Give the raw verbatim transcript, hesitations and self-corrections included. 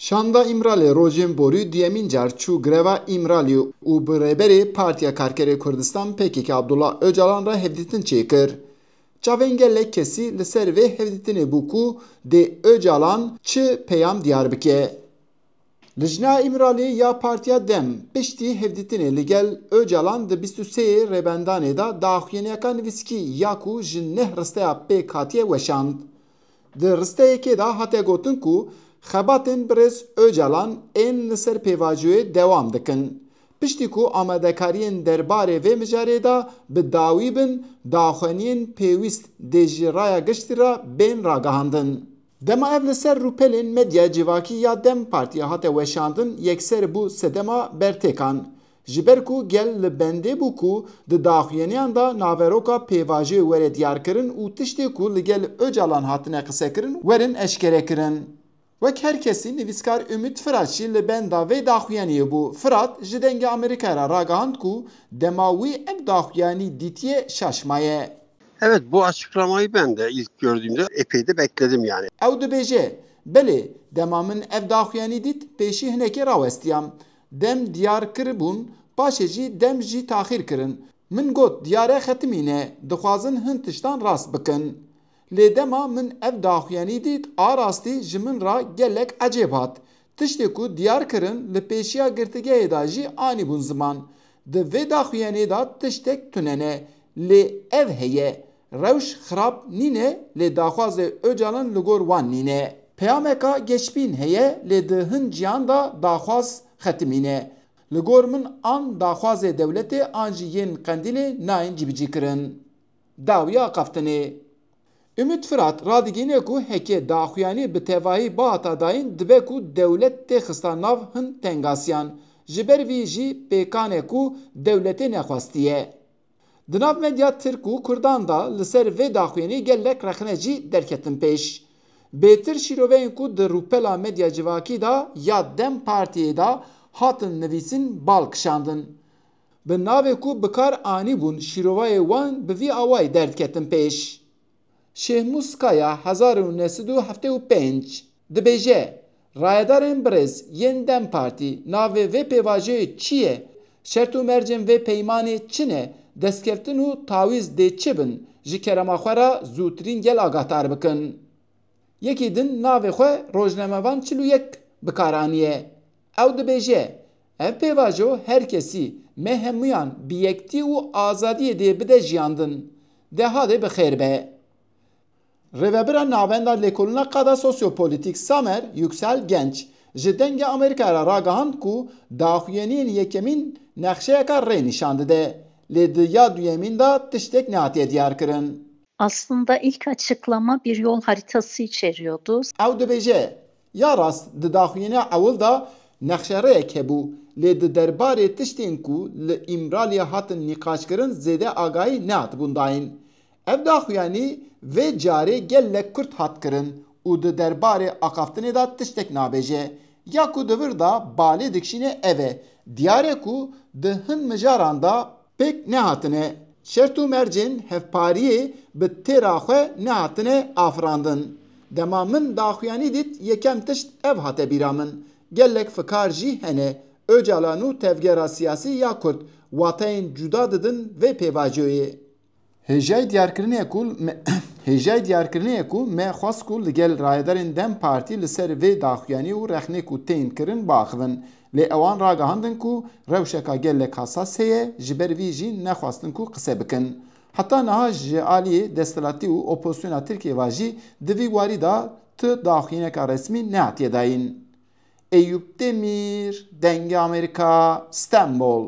Şanda Îmralê rojên borî duyemîn car çû greva Îmralî û bi rêberê Partiya Karkerê Kurdistan P K K Abdullah Ocalan re hevdîtin çêkir. Çavên gelek kesî li ser vê hevdîtinê bû ku dê Ocalan çi peyam diyar bike. Lijna Îmralî ya Partiya Dem piştî hevdîtinê li gel Ocalan di bîst û sê Rêbendanê de daxuyaniyeka nivîskî ya ku ji neh risteya pêk hatiye weşand. Di risteyekê de hate gotin ku xebatên birêz Ocalan ên li ser pêvajoyê dewam dikin. Piştî ku amadekariyên derbarê vê mijarê de bi dawî bin, daxuyaniyên pêwîst dê ji raya giştî re bên ragihandin. Dema ev li ser rûpelên medya civakî ya Dem Partiyê hate weşandin, yekser bû sedema bertêkan. Ji ber ku gel li bendê bû ku di daxuyaniyan de naveroka pêvajoyê were diyarkirin û tiştê ku li gel Ocalan hatine qisekirin werin eşkerekirin. Wek her kesî, nivîskar Umut Firat jî li benda vê daxuyaniyê bû. Firat ji Dengê Amerîkayê re ragihand ku dema wî ev daxuyanî dîtiye şaş maye. Evet, bu açıklamayı ben de ilk gördüğümde epey de bekledim yani. Ew dibêje, Belê, dema min ev daxuyanî dît, pêşî hinekê rawestiyam. Dem diyar kiribûn, paşê jî dem jî taxîr kirin. Min got, diyar e xetimî ne, dixwazin hin tiştan rast bikin. Lê dema min ev daxuyanî dît, a rastî ji min re gelek ecêb hat. Tiştê ku diyar kirin, li pêşiya girtîgehê de jî anîbûn ziman. Di vê daxuyaniyê de tiştek tune ne, lê ev heye, rewş xirab nîne, lê daxwazê Ocalan li gor wan nîne. Peyameka geşbîn heye, lê di hin ciyan de daxwaz xetimîne. Li gor min an daxwazê dewletê an jî yên Qendîlê nayên cîbicîkirin. Dawiya axaftinê. Umut Firat radigihîne ku heke daxuyanî bi tevahî bihata dayîn, dibe ku dewlet tê xista nav hin tengasiyan. Ji ber vî jî pêkan e ku dewletê nexwestiye. Di nav medya tirk û kurdan de li ser vê daxuyanî gelek rexne jî derketin pêş. Bêtir şîroveyên ku di rûpela medya civakî de ya Dem Partiyê de hatin nivîsîn bal kişandin. Bi navê ku bi kar anîbûn şîrovayê wan bi vî awayî derdiketin pêş. Şêhmûs Kaya hezar û neh sed û heftê û pênc dibêje, Rayedarên birêz yên Dem Partî, navê vê pêvajoyê çi ye? Şert û mercên vê peymanê çi ne? Destkeftin û tawîz dê çi bin? Ji kerema xwe re zûtirîn gel agahdar bikin. Yekî din navê xwe rojnamevan çil û yek bi kar aniye. Ew dibêje, Ev pêvajo her kesî, me hemûyan bi yektî û azadiyê dê bide jiyandin. De hadê bi xêr be. Rêvebira Navenda Lêkolîna Qada Sosyopolîtîk Samer Yüksel Genç ji Dengê Amerîkayê re ragihand ku daxuyaniyên yekemîn nexşeyeka rê nîşan dide, lê di ya duyemîn de tiştek nehatiye diyarkirin. Aslında ilk açıklama bir yol haritası içeriyordu. Ew dibêje, Ya rast, di daxuyaniya ewil de nexşerêyek hebû, lê di derbarê tiştên ku li Îmraliyê hatin nîqaşkirin zêde agahî nehatibûn dayîn. Ev daxuyanî vê carê gelek kurt hat kirin û di derbarê axaftinê de tiştek nabêje. Ya ku di vir de balê dikişîne ev e, diyar e ku di hin mijaran de pêk nehatine. Şert û mercên hevpariyê bi têra xwe nehatine afirandin. Dema min daxuyanî dît, yekem tişt ev hate bîra min. Gelek fikar jî hene. Ocalan û tevgera siyasî ya Kurd wateyên cuda didin vê pêvajoyê. Hêjayî diyarkirinê ye ku me, hêjayî diyarkirinê ye ku me xwest ku li gel rayedarên Dem Partî li ser vê daxuyanî û rexnê ku tên kirin biaxivin. Lê ewan ragihandin ku rewşeka gelek hesas heye, ji ber vî jî nexwestin ku qise bikin. Heta niha ji aliyê desthilatî û opozisyona Tirkiyê ve jî di vî warî de tu daxuyaniyeka resmî nehatiye dayîn. Eyûp Demîr, Dengê Amerîka, Stenbol.